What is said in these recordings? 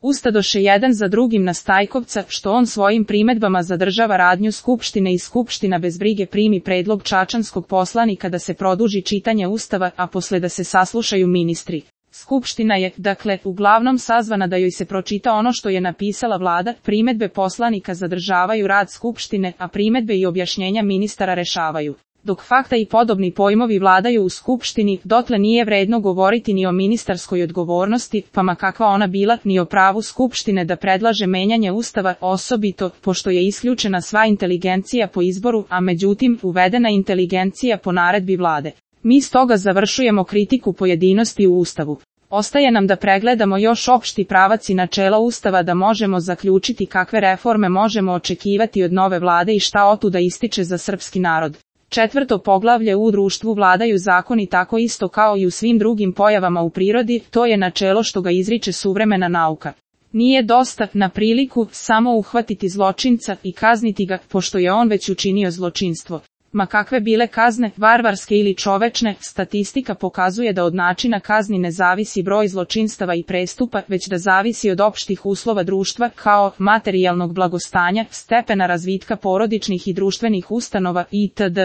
Ustadoše jedan za drugim na Stajkovca, što on svojim primedbama zadržava radnju Skupštine i Skupština bez brige primi predlog čačanskog poslanika da se produži čitanje Ustava, a posle da se saslušaju ministri. Skupština je, dakle, uglavnom sazvana da joj se pročita ono što je napisala vlada, primedbe poslanika zadržavaju rad Skupštine, a primedbe i objašnjenja ministara rešavaju. Dok fakta i podobni pojmovi vladaju u Skupštini, dotle nije vredno govoriti ni o ministarskoj odgovornosti, pa ma kakva ona bila, ni o pravu Skupštine da predlaže menjanje Ustava, osobito, pošto je isključena sva inteligencija po izboru, a međutim, uvedena inteligencija po naredbi vlade. Mi stoga završujemo kritiku pojedinosti u Ustavu. Ostaje nam da pregledamo još opšti pravac i načela Ustava da možemo zaključiti kakve reforme možemo očekivati od nove vlade i šta otuda ističe za srpski narod. 4. poglavlje u društvu vladaju zakoni tako isto kao i u svim drugim pojavama u prirodi, to je načelo što ga izriče suvremena nauka. Nije dosta, na priliku, samo uhvatiti zločinca i kazniti ga, pošto je on već učinio zločinstvo. Ma kakve bile kazne, varvarske ili čovečne, statistika pokazuje da od načina kazni ne zavisi broj zločinstava i prestupa, već da zavisi od opštih uslova društva, kao materijalnog blagostanja, stepena razvitka porodičnih i društvenih ustanova itd.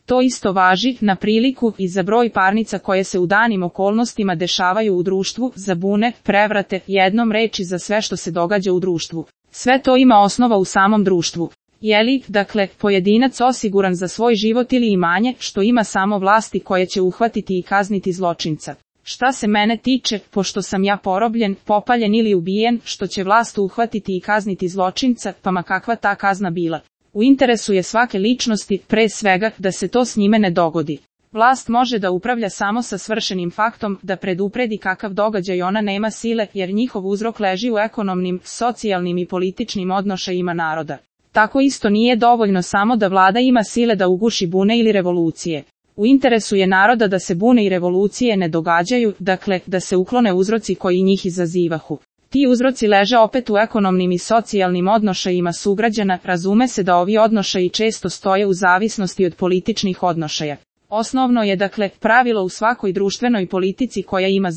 To isto važi, na priliku, i za broj parnica koje se u danim okolnostima dešavaju u društvu, za bune, prevrate, jednom reči za sve što se događa u društvu. Sve to ima osnova u samom društvu. Je li, dakle, pojedinac osiguran za svoj život ili imanje, što ima samo vlasti koje će uhvatiti i kazniti zločinca? Šta se mene tiče, pošto sam ja porobljen, popaljen ili ubijen, što će vlast uhvatiti i kazniti zločinca, pa ma kakva ta kazna bila. U interesu je svake ličnosti, pre svega, da se to s njime ne dogodi. Vlast može da upravlja samo sa svršenim faktom, da predupredi kakav događaj ona nema sile, jer njihov uzrok leži u ekonomnim, socijalnim i političnim odnošajima naroda. Tako isto nije dovoljno samo da vlada ima sile da uguši bune ili revolucije. U interesu je naroda da se bune i revolucije ne događaju, dakle, da se uklone uzroci koji njih izazivahu. Ti uzroci leže opet u ekonomnim i socijalnim odnošajima sugrađana, razume se da ovi odnošaji često stoje u zavisnosti od političnih odnošaja. Osnovno je, dakle, pravilo u svakoj društvenoj politici koja ima